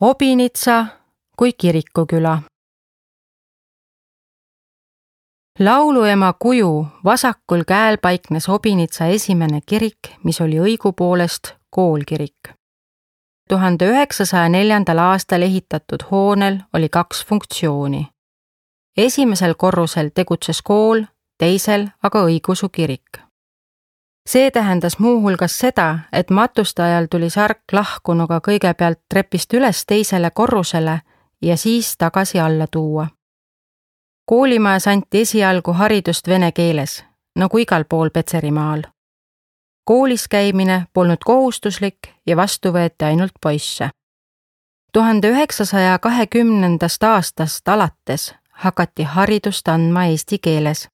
Obinitsa kui kirikuküla. Lauluema kuju vasakul käel paiknes Obinitsa esimene kirik, mis oli õigupoolest koolkirik. 1904. aastal ehitatud hoonel oli 2 funktsiooni. Esimesel korrusel tegutses kool, teisel aga õigeusu kirik. See tähendas muuhulgas seda, et matuste ajal tuli sark lahkunuga kõigepealt trepist üles teisele korrusele ja siis tagasi alla tuua. Koolimajas anti esialgu haridust vene keeles, nagu igal pool Petserimaal. Koolis käimine polnud kohustuslik ja vastu võeti ainult poisse. 1920. aastast alates hakati haridust andma eesti keeles.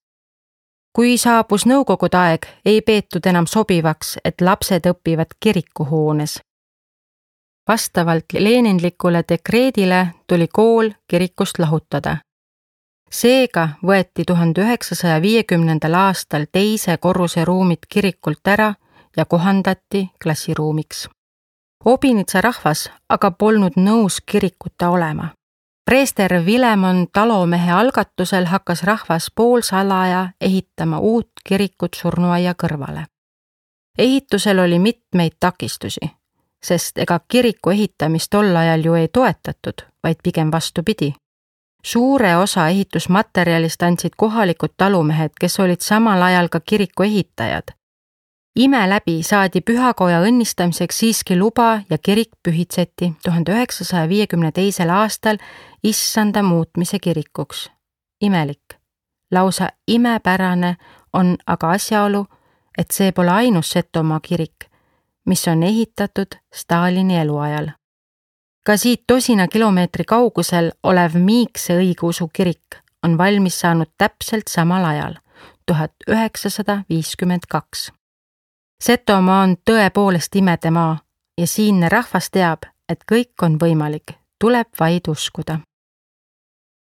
Kui saabus nõukogude aeg, ei peetud enam sobivaks, et lapsed õpivad kirikuhoones. Vastavalt leninlikule dekreedile tuli kool kirikust lahutada. Seega võeti 1950. aastal teise korruse ruumid kirikult ära ja kohandati klassiruumiks. Obinitsa rahvas aga polnud nõus kirikuta olema. Preester Vilemon Talomehe algatusel hakkas rahvas poolsalaja ehitama uut kirikut surnuaia kõrvale. Ehitusel oli mitmeid takistusi, sest ega kiriku ehitamist tol ajal ju ei toetatud, vaid pigem vastupidi. Suure osa ehitusmaterjalist andsid kohalikud talumehed, kes olid samal ajal ka kiriku ehitajad. Ime läbi saadi pühakoja õnnistamiseks siiski luba ja kirik pühitseti 1952. aastal issanda muutmise kirikuks. Imelik, lausa imepärane on aga asjaolu, et see pole ainus Setomaa kirik, mis on ehitatud Stalini eluajal. Ka siit 10 kilomeetri kaugusel olev Miikse õigeusu kirik on valmis saanud täpselt samal ajal, 1952. Setomaa on tõepoolest imede maa ja siinne rahvas teab, et kõik on võimalik, tuleb vaid uskuda.